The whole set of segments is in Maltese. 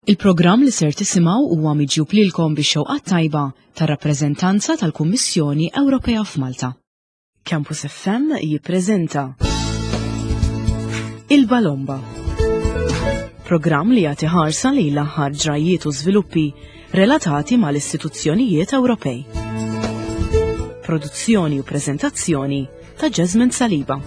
Il-programm li ser tisimgħu huwa miġjub lilkom bix-xewqat tajba tar-rappreżentanza tal-Kummissjoni Ewropea f'Malta. Campus FM jippreżenta Il-Balomba. Programm li jagħti ħarsa lejn l-aħħar ġrajjiet u żviluppi relatati mal-istituzzjonijiet Ewropej. Produzzjoni u preżentazzjoni ta' Jasmine Saliba.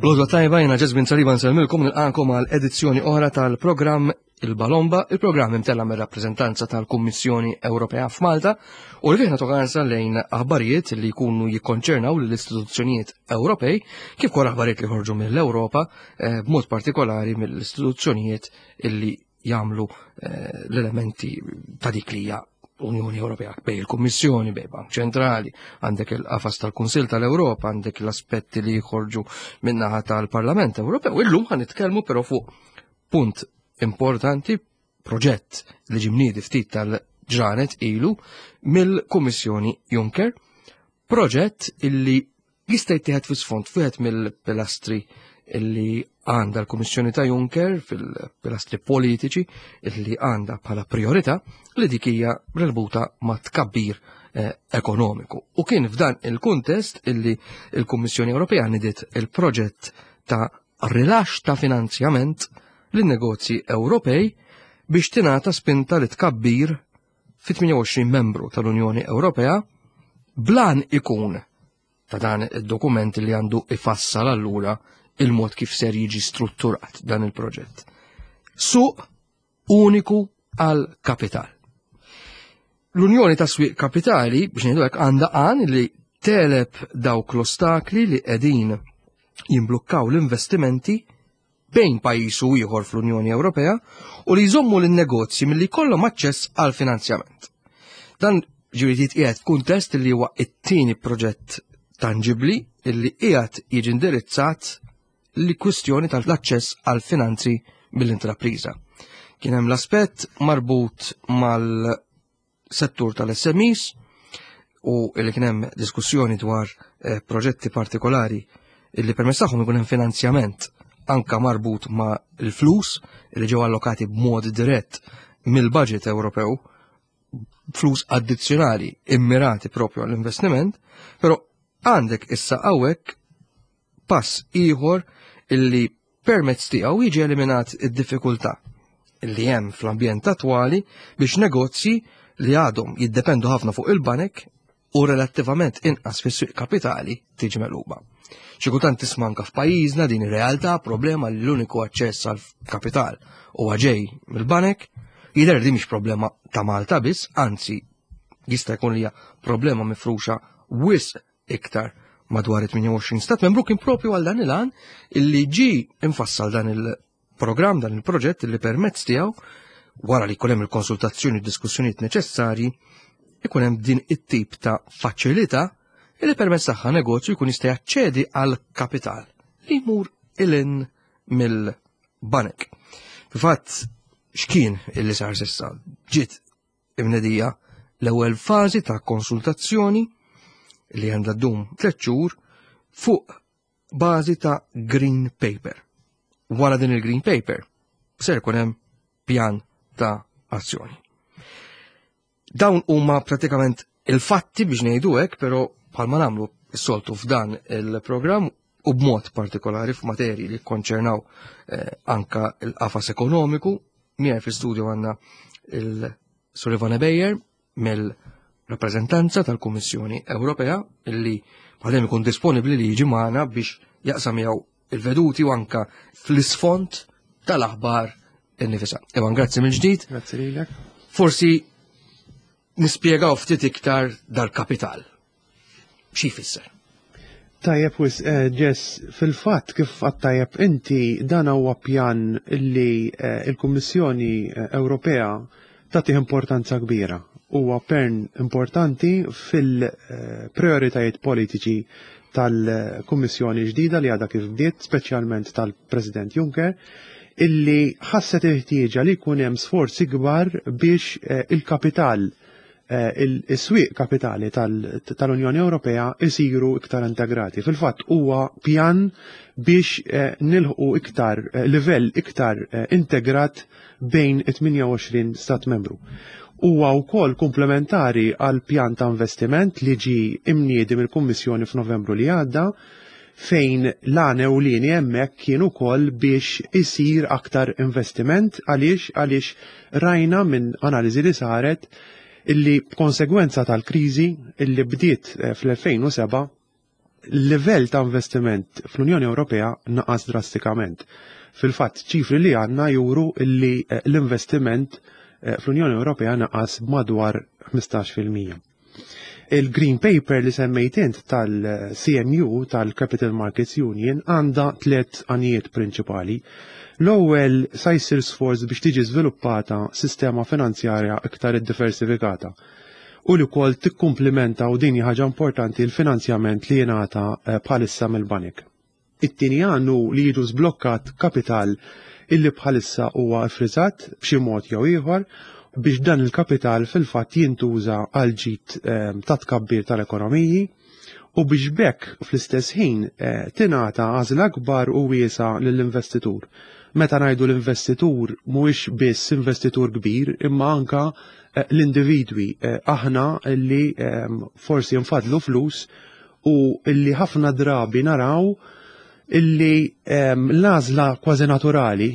Lodwa tajba jena Jasmine Saliba nsellmilkom nilqakom għal edizzjoni oħra tal-programm Il-Balomba, il-programm imtella mir-rappreżentanza tal-Kummissjoni Ewropea f'Malta u li fih nagħtu ħarsa lejn aħbarijiet li jkunu jikkonċernaw lill-istituzzjonijiet Ewropej kif ukoll aħbarijiet li ħorġu mill-Ewropa eh, b'mod partikolari mill-istituzzjonijiet illi jagħmlu eh, l-elementi ta' dik li hija Unjoni Ewropea bej il-Kummissjoni, bej Bank Ċentrali, għandek il-qafas tal-Kunsil tal-Ewropa, għandek l-aspetti li jħorġu minnaħa tal-Parlament Ewropew. Illum ħan nitkellmu però fuq Punt importanti, proġett li ġie mniedi ftit tal-ġranet ilu mill-Kummissjoni Juncker, proġett illi jista' jittieħed fi sfond wieħed mill-pilastri illi għandha l-Kummissjoni ta' Juncker fil-pilastri politiċi illi għandha bħala priorità li dik hija relbuta ma' tkabbir eh, ekonomiku. U kien f'dan il-kuntest illi l-Kummissjoni Ewropea nidiet il-proġett ta' rilaxx ta' finanzjament lin-negozji Ewropej biex tingħata spinta li tkabbir fi 28 membru tal-Unjoni Ewropea blan ikun ta' dan id-dokument li għandu ifassal allura il-mod kif ser jiġi strutturat dan il-proġett. Suq uniku għal kapital. L-Unjoni ta' Swieq Kapitali, biex ngħidu hekk, għandha għan li teleb dawk l-ostakli li qegħdin jimblukkaw l-investimenti bejn pajjiż u ieħor fl-Unjoni Ewropea u li jżommu lin-negozji milli jkollhom aċċess għal finanzjament. Dan ġifieri jitqiegħed f'kuntest li huwa t-tieni proġett tanġibli li qiegħed jiġi indirizzat li kwistjoni tal-aċċess għal finanzi mill-intrapriża. Kien hemm l-aspett marbut mal-settur tal-SMEs u li kien hemm diskussjoni dwar eh, proġetti partikolari li permezz tagħhom ikun hemm finanzjament anka marbut ma' l-flus li ġew allokati b'mod dirett mill-budget Ewropew flus addizzjonali immirati propju għall-investiment, però għandek issa hawnhekk pass ieħor illi permezz tiegħu jiġi eliminat id-diffikultà li hemm fl-ambjent attwali biex negozji li għadhom jiddependu ħafna fuq il-banek u relattivament inqas fis-swieq kapitali tiġi meluba. Xi kultant tisma' anke f'pajjiżna din ir-realtà problema li l-uniku aċċess għal kapital huwa ġej mill-banek, jidher li mhix problema ta' Malta biss, anzi jista' jkun li hija problema mifruxa wisq iktar madwar 28 stat membru kien propju għal dan il-għan illi ġi infassal dan il-programm, dan il-proġett illi permezz tiegħu wara li jkun hemm il-konsultazzjoni u diskussjonijiet neċessarji ikun hemm din it-tip ta' faċilità illi permezz tagħha negozju jkun jista' jaċċedi għal kapital li jmur ilin mill-banek. Fil-fatt, x'kien illi sar sissa? Ġiet imnedija l-ewwel fażi ta' konsultazzjoni li għandha ddum tliet xhur fuq bażi ta' green paper. Wara din il-green paper ser ikun hemm pjan ta' azzjoni. Dawn huma pratikament il-fatti biex ngħidu hekk, però bħalma nagħmlu s-soltu f'dan il-programm u b'mod partikolari f'materji li konċernaw eh, anka l-qafas ekonomiku. Miegħi fl-studio għandna il-Sullivan Beyer mill-rappreżentanza tal-Kummissjoni Ewropea illi bħalem ikun disponibbli li jiġi magħna biex jaqsam miegħu il-veduti u anka fl-isfond tal-aħbar innifisa. Ivan, grazzi mill-ġdid. Grazzi lilek. Forsi nispjegaw ftit iktar dal-kapital. Xi jfisser? Tajjeb wis eh, Jess, fil-fatt kif għattajjeb inti dan huwa pjan li eh, il-Kummissjoni eh, Ewropea tagħtih importanza kbira. Huwa pern importanti fil-prioritajiet politiċi tal-Kummissjoni ġdida li għadha kif bdiet, speċjalment tal-President Juncker. illi ħasset il-ħtieġa li jkun hemm sforzi kbar biex il-kapital, is-swieq kapitali tal-Unjoni Ewropea isiru iktar integrati. Fil-fatt huwa pjan biex nilħqu iktar livell iktar integrat bejn it-28 stat membru. Huwa wkoll komplementari għal pjan ta' investiment li ġi imniedi mill-Kummissjoni f'Novembru li għadda, fejn l-għan ewlieni hemmhekk kien ukoll biex isir aktar investiment. Għaliex? Għaliex rajna minn analiżi li saret illi b'konsegwenza tal-kriżi illi bdiet fl-2007, livell ta' investiment fl-Unjoni Ewropea naqas drastikament. Fil-fatt, ċifri li għandna juru illi l-investiment fl-Unjoni Ewropea naqas madwar 15%. Il-Green Paper li semmejt int tal-CMU, tal-Capital Markets Union, għandha tliet għanijiet prinċipali. L-ewwel, sa jsir sforz biex tiġi żviluppata sistema finanzjarja iktar iddiversifikata u li wkoll tikkumplimenta, u din ħaġa importanti, l-finanzjament li jingħata bħalissa mill-banek. It-tieni għan hu li jiġu żblokkat kapital illi bħalissa huwa ffriżat b'xi mod jew ieħor, biex dan il-kapital fil-fatt jintuża għal ġid ta' tkabbir tal-ekonomiji u biex b'hekk fl-istess ħin tingħata għażla akbar u wiesa lill-investitur. Meta ngħidu l-investitur, mhuwiex biss investitur kbir, imma anka l-individwi, aħna li forsi nfadlu flus u illi ħafna drabi naraw illi l-għażla kważi naturali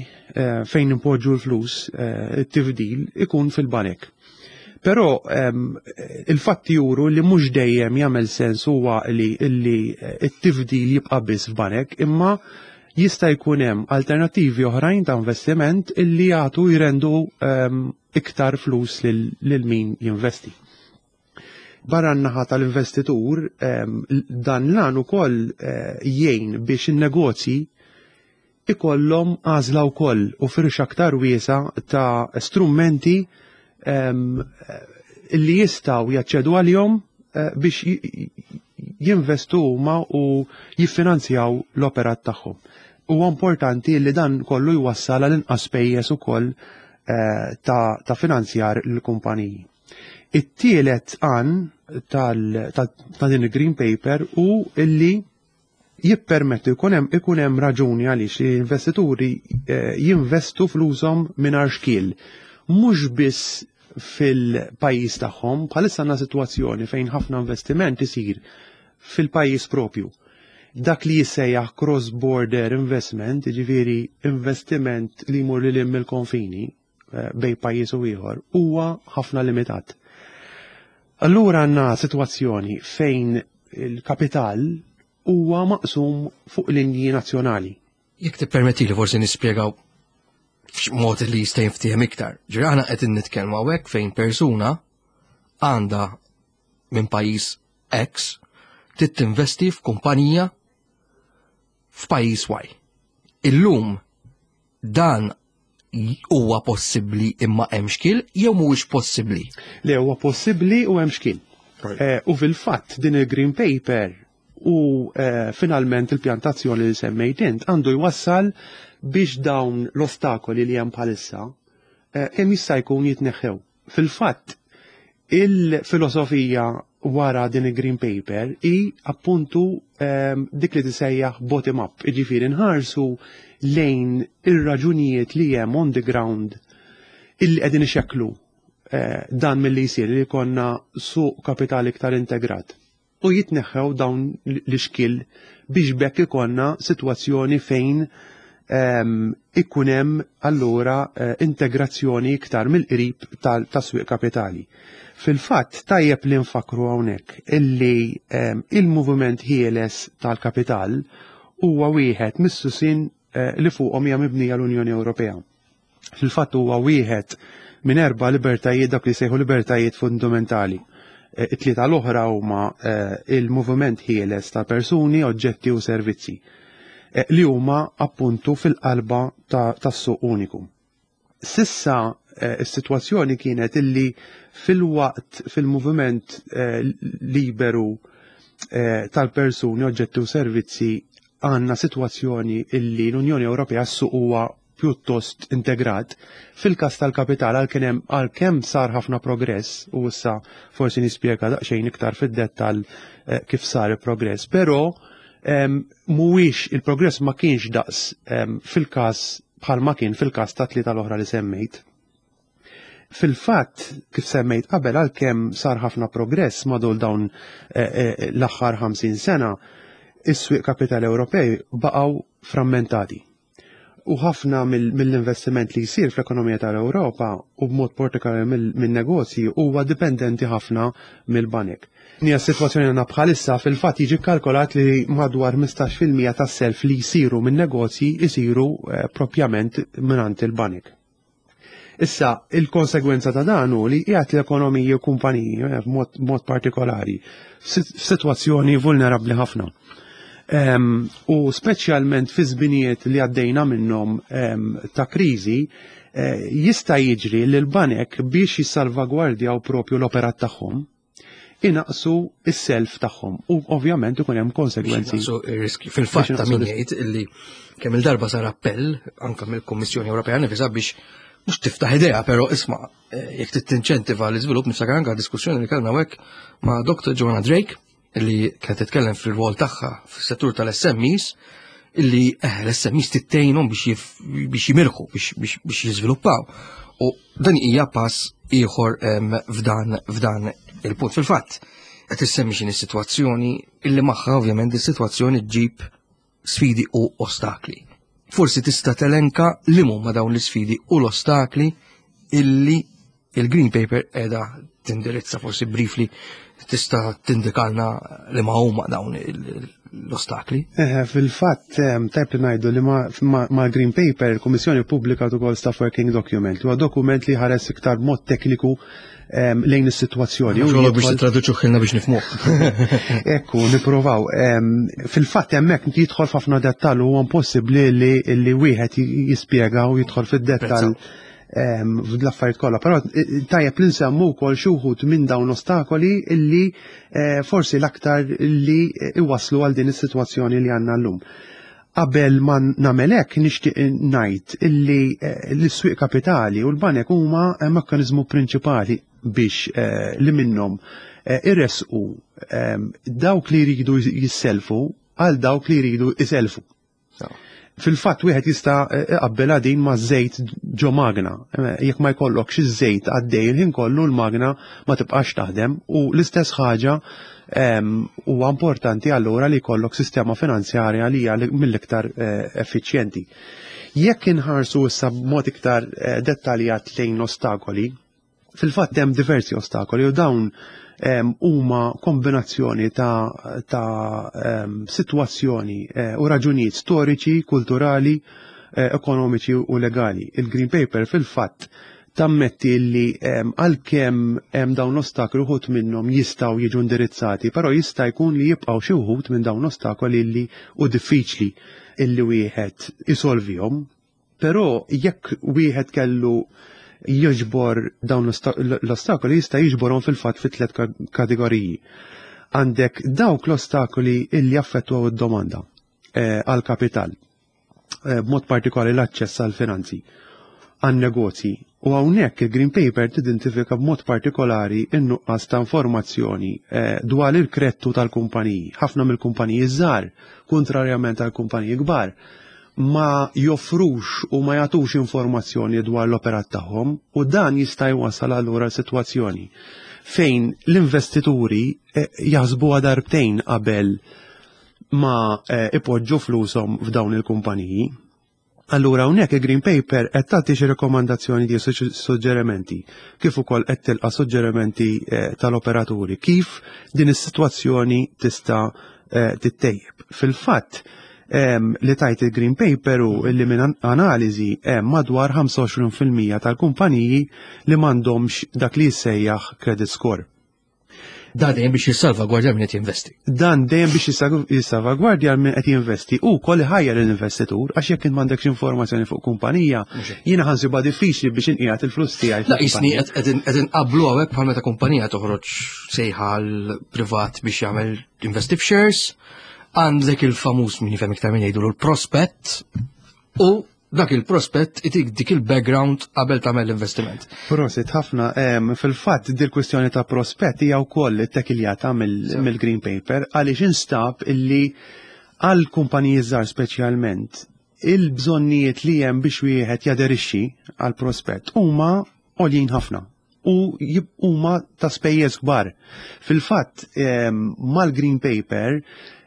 fejn impoġġu l-flus, it-tifdil, ikun fil-banek. Però il-fatti juru li mhux dejjem jagħmel sens huwa li illi it-tifdil jibqa' biss f'banek, imma jista' jkun hemm alternattivi oħrajn ta' investiment illi jagħtu, jrendu iktar flus lil min jinvesti. Barra n-naħa tal-investitur, dan l-għan ukoll jgħin biex in-negozji ikollhom għażla wkoll u firxa aktar wiesa ta' strumenti illi jistgħu jaċċedu għalihom biex jinvestu huma u jiffinanzjaw l-operat tagħhom. Huwa importanti li dan kollu jwassal għal inqas spejjeż ukoll ta' finanzjar l-kumpaniji. It-tielet għan ta' din il-Green Paper hu illi jippermettu ikun hemm raġuni għaliex li l-investituri jinvestu flushom mingħajr xkiel. Mhux biss fil-pajjiż tagħhom, bħalissa għandna sitwazzjoni fejn ħafna investiment isir fil-pajjiż propju. Dak li jissejjaħ cross-border investment, ġifieri investiment li jmur lil mill-konfini bejn pajjiż u ieħor, huwa ħafna limitat. Allura għandna sitwazzjoni fejn il-kapital huwa maqsum fuq linji nazzjonali. Jekk tippermetti li forsi nispjegaw f'mod li jista' jinftiehem iktar. Ġifieri aħna qed nitkellmu hawnhekk fejn persuna għandha minn pajjiż X trid tinvesti f'kumpanija f'pajjiż Y. Illum dan huwa possibbli imma hemm xkil jew mhuwiex possibbli? Le, huwa possibbli u hemm xkil. U fil-fatt din il-Green Paper u finalment il-pjantazzjoni li semmejt int għandu jwassal biex dawn l-ostakoli li hemm bħalissa kemm jista' jkun jitneħħew. Fil-fatt, il-filosofija wara din il-Green Paper hi appuntu dik li tisejjaħ bottom up, jiġifieri nħarsu lejn ir-raġunijiet li hemm on the ground illi qegħdin ixekklu dan milli jsir li jkollna suq kapitali iktar integrat. U jitneħħew dawn l-ixkil biex b'hekk ikollna sitwazzjoni fejn ikun hemm allura integrazzjoni iktar mill-qrib tas-swieq kapitali. Fil-fatt, tajjeb li nfakru hawnhekk illi il-moviment ħieles tal-kapital huwa wieħed mis-susin li fuqhom hija mibnija l-Unjoni Ewropea. Fil-fatt huwa wieħed minn erba' libertajiet, dak li sejħu libertajiet fundamentali. It-tlieta l-oħra huma il-moviment ħieles ta' persuni, oġġetti u servizzi li huma appuntu fil-qalba tas-suq uniku. S'issa is-sitwazzjoni kienet illi fil-waqt fil-moviment liberu tal-persuni, oġġetti u servizzi għandna sitwazzjoni illi l-Unjoni Ewropea s-suq huwa pjuttost integrat. Fil-każ tal-kapital għalkemm għalkemm sar ħafna progress u issa forsi nispjega daqsxejn iktar fid-dettall eh, kif sar il-progress, però mhuwiex il-progress ma kienx daqs fil-każ bħalma kien fil-każ ta' tlieta l-oħra li semmejt. Fil-fatt, kif semmejt qabel għalkemm sar ħafna progress madwar dawn eh, eh, l-aħħar 50 sena, is-swieq kapitali Ewropej baqgħu frammentati. U ħafna mill-investiment li jsir fl-ekonomija tal-Ewropa u b'mod partikolari min-negozji huwa dipendenti ħafna mill-banek. Hija s-sitwazzjoni għandna bħalissa fil-fatt jiġi kkalkolat li madwar 15% tas-self li jsiru min-negozji jsiru eh, propjament mingħand il-banek. Issa, il-konsegwenza ta' dan hu li qiegħed l-ekonomiji u kumpaniji eh, b'mod partikolari f'sitwazzjoni vulnerabbli ħafna. U speċjalment fi żminijiet li għaddejna minnhom ta' kriżi, eh, jista' jiġri li l-banek biex jissalvagwardjaw propju l-operat tagħhom inaqsu s-self tagħhom u ovvjament ikun hemm konsegwenzi. Inaqsu ir-riski. Fil-fatt ta' min jgħid illi kemm il-darba sar appell anke mill-Kummissjoni Ewropea nifisha biex mhux tiftaħ idea, però isma' eh, jekk tittinċentiva l-iżvilupp niftakar anke diskussjoni li kellna hekk ma' Dr. Joanna Drake li kienet titkellem fil-rwol tagħha fis-settur tal-SMEs illi eh, l-SMEs tittejnhom biex jimirħu, biex jiżviluppaw. U dan hija pass ieħor f'dan f'dan il-punt. Fil-fatt, qed issemmi x'inhi sitwazzjoni illi magħha ovvjament is-sitwazzjoni ġġib sfidi u ostakli. Forsi tista' telenka li huma dawn l-isfidi u l-ostakli illi il-Green Paper qiegħda tindirizza forsi briefly tista' tindikalna li ma huma dawn l-ostakli. Eh, fil-fatt, tajb li ngħidu li ma' Green Paper il-Kummissjoni ppubblikat ukoll Staff Working Document, li huwa dokument li ħares iktar mod tekniku lejn is-sitwazzjoni. U biex titraduċu ħilna biex nifhmuh. Ekku, nippruvaw. Fil-fatt hemmhekk jidħol f'ħafna dettall u huwa impossibbli li wieħed jispjega u jidħol fid-dettall fl-affarijiet kollha. Però eh, tajjeb li nsemmu wkoll xi wħud minn dawn ostakoli illi eh, forsi l-aktar li eh, iwasslu għal din is-sitwazzjoni li għandna llum. Qabel ma nagħmel hekk nixtieq ngħid illi l-iswieq kapitali u l-banek huma mekkaniżmu prinċipali biex li minnhom iressqu dawk li jridu jisselfu għal dawk li jridu jiselfu. Fil-fatt wieħed jista' iqabbilha din ma' żejt ġo magna. Jekk ma jkollokx iż-żejt għaddej il-ħin kollu l-magna ma tibqax taħdem u l-istess ħaġa huwa importanti allura li jkollok sistema finanzjarja li hija mill-iktar eh, effiċjenti. Jekk inħarsu issa b'mod iktar eh, dettaljat lejn l-ostakoli, Fil-fatt hemm diversi ostakoli u dawn huma kombinazzjoni ta', ta sitwazzjoni eh, u raġunijiet storiċi, kulturali, eh, ekonomiċi u legali. Il-Green Paper fil-fatt tammetti li għalkemm hemm dawn l-ostakoli uħud minnhom jistgħu jiġu indirizzati, però jista' jkun li jibqgħu xi wħud minn dawn l-ostakoli li u diffiċli illi wieħed isolvihom. Però jekk wieħed kellu jiġbor dawn l-ostakoli jista' jiġborhom fil-fatt fi tliet kategoriji. Għandek dawk l-ostakoli illi jaffettwaw id-domanda eh, għal kapital, eh, b'mod partikolari l-aċċess għal finanzi għan negozji. U hawnhekk il-Green Paper tidentifika b'mod partikolari n-nuqqas ta' informazzjoni eh, dwar il-krettu tal-kumpaniji. Ħafna mill-kumpaniji żgħar, kontrarjament għal kumpaniji kbar, ma joffrux u ma jagħtux informazzjoni dwar l-operat tagħhom u dan jista' jwassal allura sitwazzjoni fejn l-investituri eh, jaħsbuha darbtejn qabel ma eh, ipoġġu flushom f'dawn il-kumpaniji. Allura hawnhekk il-Green Paper qed tagħti xi rekomandazzjoni di suġġerimenti kif ukoll qed tilqa' suġġerimenti eh, tal-operaturi kif din is-sitwazzjoni tista' tittejjeb. Fil-fatt, li tajt il-Green Paper u li minn analiżi hemm madwar 25% tal-kumpaniji li m'għandhomx dak li jissejjaħ credit score. Dan dejjem biex jissalvagwardja min qed jinvesti. Dan dejjem biex jissalvagwardja min qed jinvesti u wkoll iħajjar l-investitur għax jekk int m'għandekx informazzjoni fuq kumpanija, jiena ħansibha diffiċli biex inqiegħed il-flus tiegħi. La jisni qed inqabblu hawnhekk bħal meta kumpanija toħroġ sejħa privat biex jagħmel investi f'shares, għandek il-famuż min jifhem iktar minn jgħidu l-prospett u dak il-prospett itik dik il-background qabel tagħmel l-investiment. Prosit ħafna, fil-fatt dil kwistjoni ta' prospett hija wkoll ittekiljata mill-Green Paper għaliex instab illi għal kumpaniji żgħar speċjalment il-bżonnijiet li hemm biex wieħed jaderixxi għal prospett huma għoljin ħafna u huma ta' spejjeż kbar. Fil-fatt mal-Green Paper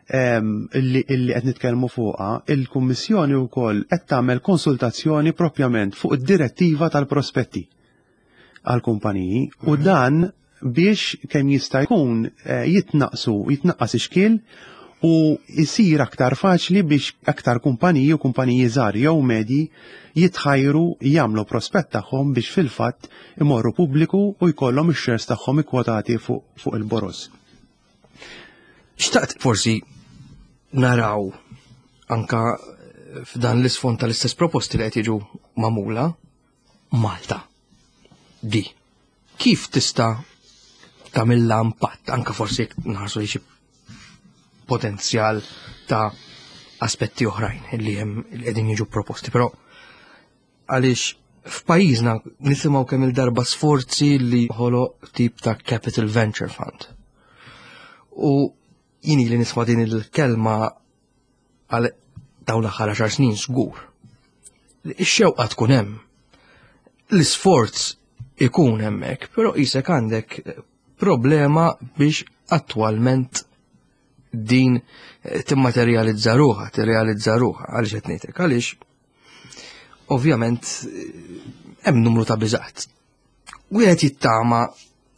illi qed nitkellmu fuqha, il-Kummissjoni wkoll qed tagħmel konsultazzjoni propjament fuq id-direttiva tal-prospetti għal kumpaniji u dan biex kemm jista' jkun jitnaqsu, jitnaqqas ix-xkiel u jsir aktar faċli biex aktar kumpaniji u kumpaniji żgħar jew medji jitħajru jagħmlu prospett tagħhom biex fil-fatt imorru pubbliku u jkollhom ix-shares tagħhom ikkwotati fuq il-boroż. Xtaqt forsi naraw anka f'dan l-isfond tal-istess proposti li qed jiġu magħmula Malta. Di. Kif tista' tagħmilha impatt anka forsi jekk nħarsu li xi potenzjal ta' aspetti oħrajn li hemm li qegħdin jiġu proposti, però għaliex f'pajjiżna nisimgħu kemm il-darba sforzi li ħoloq tip ta' Capital Venture Fund. U jien li nisma' din il-kelma għal dawn l-aħħar 10 snin żgur. Ix-xewqa tkun hemm. L-isforz ikun hemmhekk, però qisek għandek problema biex attwalment din timmaterjalizza ruħha, tirrealizza ruħha, għaliex qed ngħidlek, għaliex ovvjament hemm numru ta' biżgħat. Wieħed jittama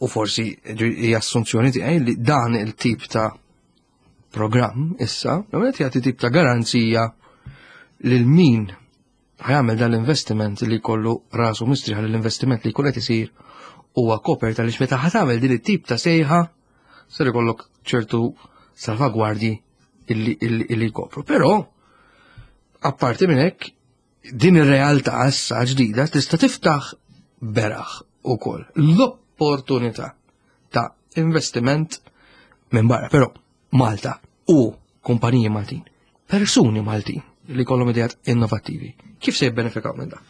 u forsi hija assunzjoni tiegħi li dan il-tip ta' programm issa, qed jagħti tip ta' garanzija lil min ħa jagħmel dan l-investiment li jkollu rasu mistrieħ li l-investiment li jkun qed isir huwa kopert għaliex meta ħa tagħmel din it-tip ta' sejħa ser ikollok ċertu salvagwardji illi, illi, illi jkopru. Però, apparti minn hekk, din ir-realtà issa ġdida tista' tiftaħ beraħ ukoll l-opportunità ta' investiment minn barra. Però Malta u kumpaniji Maltin, persuni Maltin li kollhom ideat innovattivi, kif se jibbenefikaw minn dan?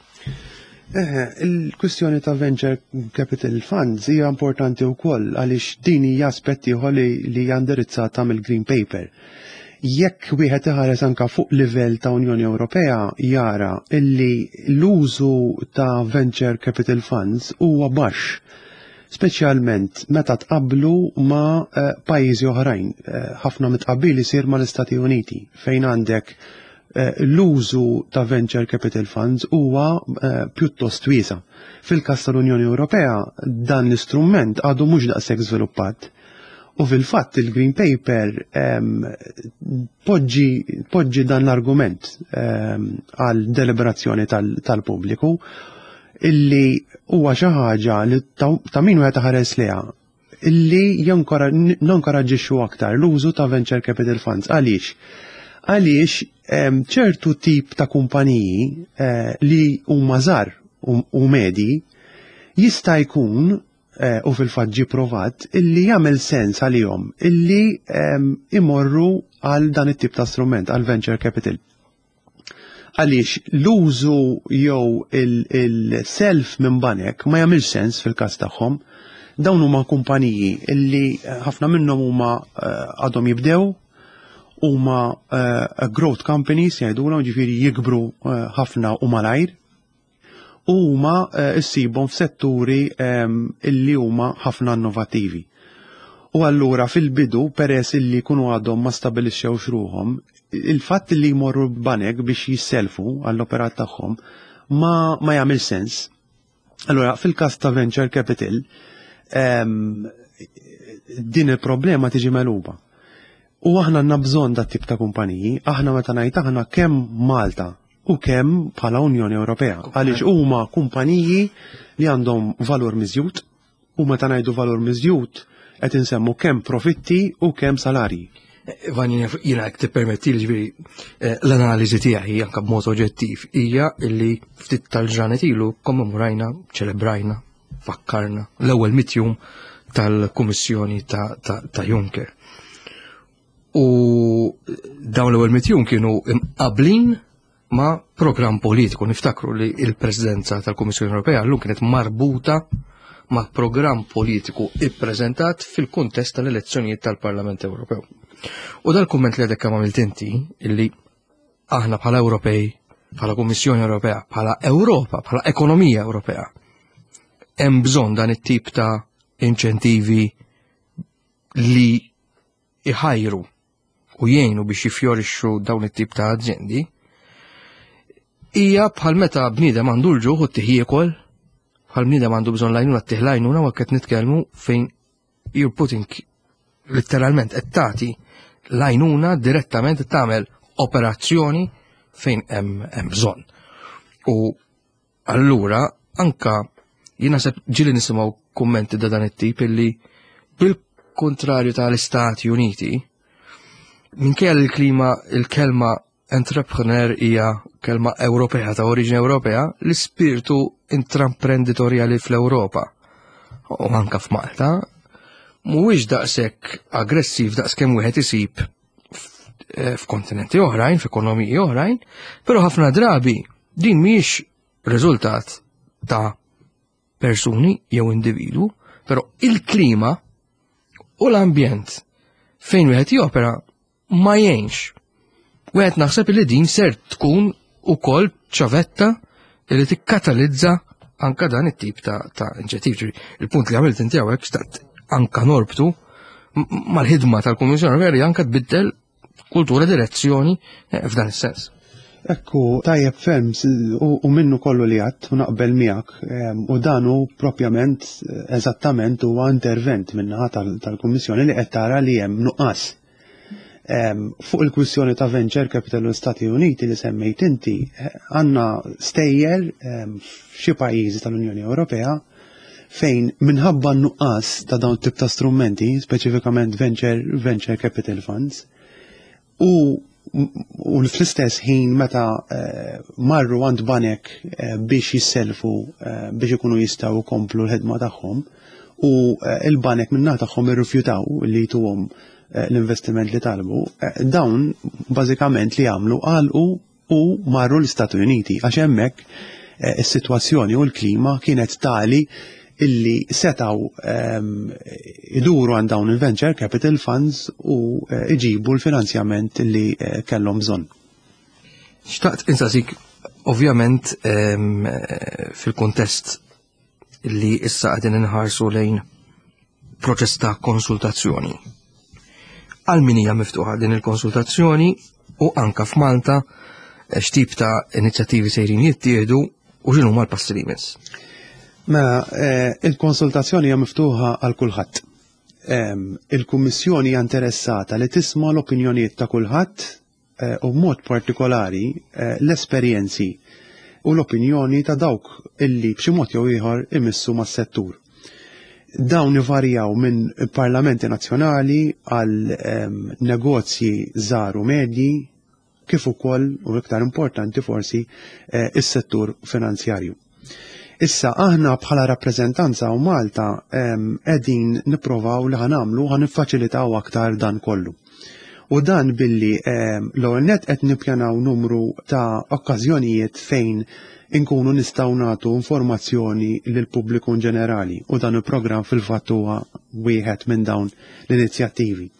Il-kwistjoni ta' venture capital funds hija importanti wkoll għaliex din hija aspett ieħor li hija indirizzata mill-Green Paper. Jekk wieħed iħares anka fuq livell ta' Unjoni Ewropea jara illi l-użu ta' venture capital funds huwa baxx, speċjalment meta tqablu ma' pajjiżi oħrajn. Ħafna mit-tqabbil isir mal-Istati Uniti fejn għandek l-użu ta' venture capital funds huwa pjuttost wiesa'. Fil-każ tal-Unjoni Ewropea dan l-istrument għadu mhux daqshekk żviluppat. U fil-fatt il-Green Paper poġġi dan l-argument għal deliberazzjoni tal-pubbliku illi huwa xi ħaġa li ta' min wieħed ħares liha illi nonkoraġġixxu aktar l-użu ta' venture capital funds. Għaliex? Għaliex ċertu tip ta' kumpaniji li huma żgħar u medji jista' jkun, u fil-fatt ġie provat, illi jagħmel sens għalihom illi imorru għal dan it-tip ta' strument, għal venture capital. Għaliex l-użu jew il-self minn banek ma jagħmilx sens fil-każ tagħhom. Dawn huma kumpaniji illi ħafna minnhom huma għadhom jibdew, huma growth companies jgħidulhom, ġifieri jikbru ħafna u malajr, u huma issibhom f'setturi illi huma ħafna innovattivi. U allura fil-bidu, peress illi jkunu għadhom ma stabilixxewx ruħhom, il-fatt li jmorru banek biex jisselfu għall-operat tagħhom ma jagħmel sens. Allura fil-każ ta' venture capital din il-problema tiġi megħluba. U aħna għandna bżonn dat tip ta' kumpaniji, aħna meta ngħid aħna kemm Malta u kemm bħala Unjoni Ewropea, għaliex huma kumpaniji li għandhom valur miżjud, u meta ngħidu valur miżjud qed insemmu kemm profitti u kemm salarji. Ivan, jiena jekk tippermetti li ġifieri l-analiżi tiegħi anke b'mod oġġettiv hija li ftit tal-ġranet ilu kommemorajna, ċelebrajna, fakkarna l-ewwel mitjum tal-Kummissjoni ta' Juncker. U dawn l-ewwel mitjum kienu imqablin ma' programm politiku. Niftakru li il-Presidenza tal-Kummissjoni Ewropea llum kienet marbuta ma' programm politiku ippreżentat fil-kuntest tal-elezzjonijiet tal-Parlament Ewropew. U dal-kumment li għadek kemm għamilt inti, illi aħna bħala Ewropej, bħala Kummissjoni Ewropea, bħala Ewropa, bħala ekonomija Ewropea, hemm bżonn dan it-tip ta' inċentivi li iħajru u jgħinu biex jifjorixxu dawn it-tip ta' azjendi, hija bħal meta bniedem għandu l-ġuħ u ttih jiekol, bħal bniedem għandu bżonn l-għajnuna ttih l-għajnuna u qed nitkellmu fejn you're putting letteralment qed tagħti l-għajnuna direttament tagħmel operazzjoni fejn hemm bżonn. U allura anka jien naħseb ġieli nisimgħu kummenti da dan it-tip illi bil-kontrarju tal-Istati Uniti minkejja li l-klima il-kelma entrepreneur hija kelma Ewropea ta' oriġini Ewropea, l-ispirtu intraprenditorjali fl-Ewropa u anka f'Malta mhuwiex daqshekk aggressiv daqskemm wieħed isib f'kontinenti oħrajn, f'ekonomiji oħrajn, però ħafna drabi din mhijiex riżultat ta' persuni jew individwu, però il-klima u l-ambjent fejn wieħed jopera ma jgħinx. Wieħed naħseb li din ser tkun ukoll ċavetta li tikkatalizza anka dan it-tip ta', ta inċentiv. Il-punt li għamilt inti hawnhekk xtaqt anka norbtu mal-ħidma tal-Kummissjoni Ewropea li anka tbiddel kultura direzzjoni f'dan is-sens. Ekku, tajjeb ferm u minnu kollu li għadt u naqbel miegħek u dan hu propjament eżattament huwa intervent min-naħa tal-Kummissjoni li qed tara li hemm nuqqas. Fuq il-kwistjoni ta' venture capital u l-Stati Uniti li semmejt inti, għandna stejjer f'xi pajjiżi tal-Unjoni Ewropea fejn minħabba n-nuqqas ta' dawn tip ta' strumenti, speċifikament venture, venture capital funds, u u fl-istess ħin meta marru għand banek biex jisselfu biex ikunu jistgħu jkomplu l-ħidma tagħhom u il-banek min-naħa tagħhom irrifjutaw li jtuhom l-investiment li talbu, dawn bażikament li għamlu għalqu u marru l-Istati Uniti għax hemmhekk is-sitwazzjoni u l-klima kienet tali illi setaw iduru għand dawn il-venture capital funds u iġibu l-finanzjament li kellhom bżonn. Xtaqt insaqsik, ovvjament fil-kuntest li issa qegħdin inħarsu lejn proċess ta' konsultazzjoni. Għal min hija miftuħa din il-konsultazzjoni u anka f'Malta x'tip ta' inizjattivi sejrin jittieħdu u x'inhuma l-passi li jmiss? Mela, il-konsultazzjoni hija miftuħa għal kulħadd. Il-Kummissjoni hija interessata li tisma' l-opinjonijiet ta' kulħadd u b'mod partikolari l-esperjenzi u l-opinjoni ta' dawk illi b'xi mod jew ieħor imissu mas-settur. Dawn ivarjaw minn parlamenti nazzjonali għal negozji żgħar u medji kif ukoll u iktar importanti forsi is-settur finanzjarju. Issa aħna bħala rappreżentanza u Malta qegħdin nipprovaw li ħa nagħmlu ħa niffaċilitaw aktar dan kollu. U dan billi l-ewwel nett qed nippjanaw numru ta' okkażjonijiet fejn inkunu nistgħu nagħtu informazzjoni lill-pubbliku in ġenerali u dan il-programm fil-fatt huwa wieħed minn dawn l-inizjattivi.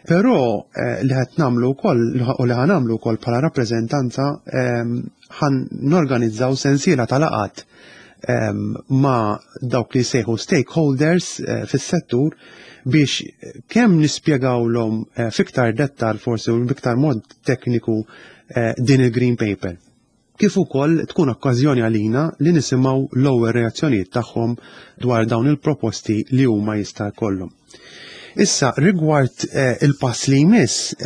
Però li qed nagħmlu wkoll u li ħa nagħmlu wkoll bħala rappreżentanza ħa norganizzaw sensiela ta' laqgħat ma' dawk li jsejħu stakeholders fis-settur biex kemm nispjegawlhom fiktar dettal forsi u biktar mod tekniku din il-Green Paper. Kif ukoll tkun okkażjoni għalina li nisimgħu l-ewwel reazzjonijiet tagħhom dwar dawn il-proposti li huma jista' jkollhom. Issa, rigward il-pass li jmiss,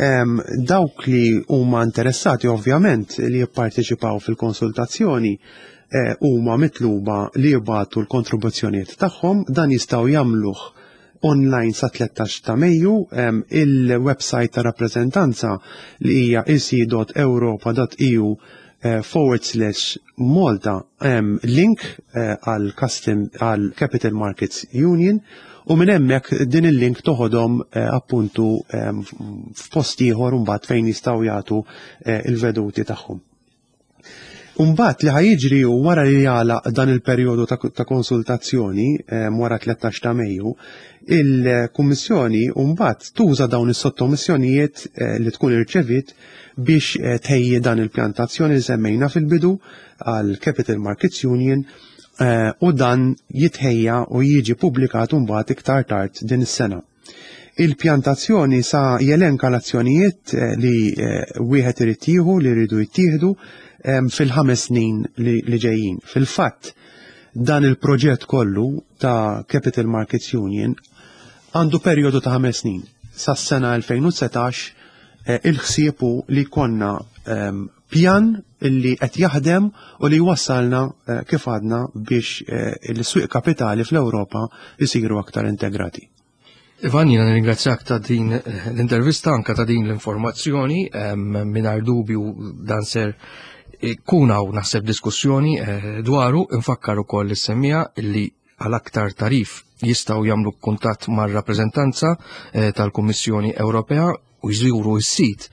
dawk li huma interessati ovvjament li jipparteċipaw fil-konsultazzjoni huma mitluba li jibagħtu l-kontribuzzjonijiet tagħhom, dan jistgħu jagħmluh online sa 13 ta' Mejju, il-website ta' rappreżentanza li hija ec.europa.eu forward slash Malta hemm link għal custom għal Capital Markets Union u minn hemmhekk din il-link toħodhom appuntu f'post ieħor mbagħad fejn jistgħu jagħtu il-veduti tagħhom. Umbat li ħajġri u wara li jagħlaq dan il-perjodu ta' konsultazzjoni wara 13 ta' Mejju, il-Kummissjoni mbagħad tuża dawn is-sottomissjonijiet eh, li tkun irċevit biex eh, tħejji dan il-pjantazzjoni li semmejna fil-bidu għal Capital Markets Union eh, u dan jitħejja u jiġi publikat mbagħad iktar tard din is-sena. Il-pjantazzjoni sa jelenka l-azzjonijiet eh, li eh, wieħed irid jieħu li jridu jittieħdu ehm, fil-ħames snin li ġejjin. Fil-fatt, dan il-proġett kollu ta' Capital Markets Union għandu perjodu ta' ħames snin. Sas-sena 2019 eh, il-ħsiebu li konna ehm, pjan illi qed jaħdem u li jwassalna kif għadna biex l-swieq kapitali fl-Ewropa jisiru aktar integrati. Ivan, jina nirringrazzjak ta' din l-intervista, anka ta' din l-informazzjoni, mingħajr dubju dan ser kun hawn naħseb diskussjoni eh, dwaru, infakkar ukoll is-semmija li għal aktar tarif jistgħu jagħmlu kuntatt mar-rappreżentanza eh, tal-Kummissjoni Ewropea u jżuru s-sit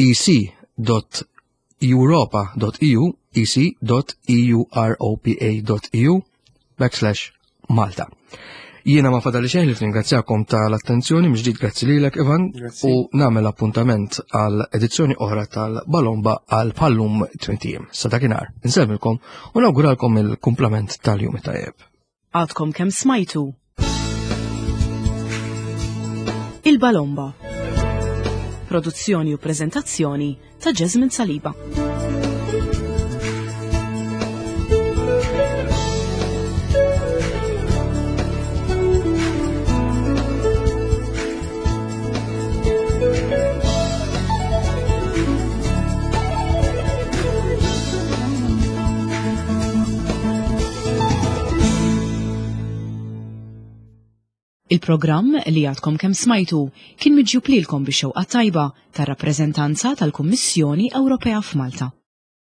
ec.europa.eu ec.europa.eu backslash Malta. Jiena ma fadali xejn li ringrazzjakom tal-attenzjoni, mġdid grazzi lilek Ivan u nagħmel appuntament għal edizzjoni oħra tal-Balomba għal Pallum 20. Sa dakinhar, insellmilkom u nawguralkom il-kumplament tal-jum tajjeb. Għadkom kemm smajtu Il-Balomba. Produzzjoni u prezentazzjoni ta' Jasmine Saliba. Il-programm li għadkom kemm smajtu kien miġjub lilkom bix-xewqa tajba tar-rappreżentanza tal-Kummissjoni Ewropea f'Malta.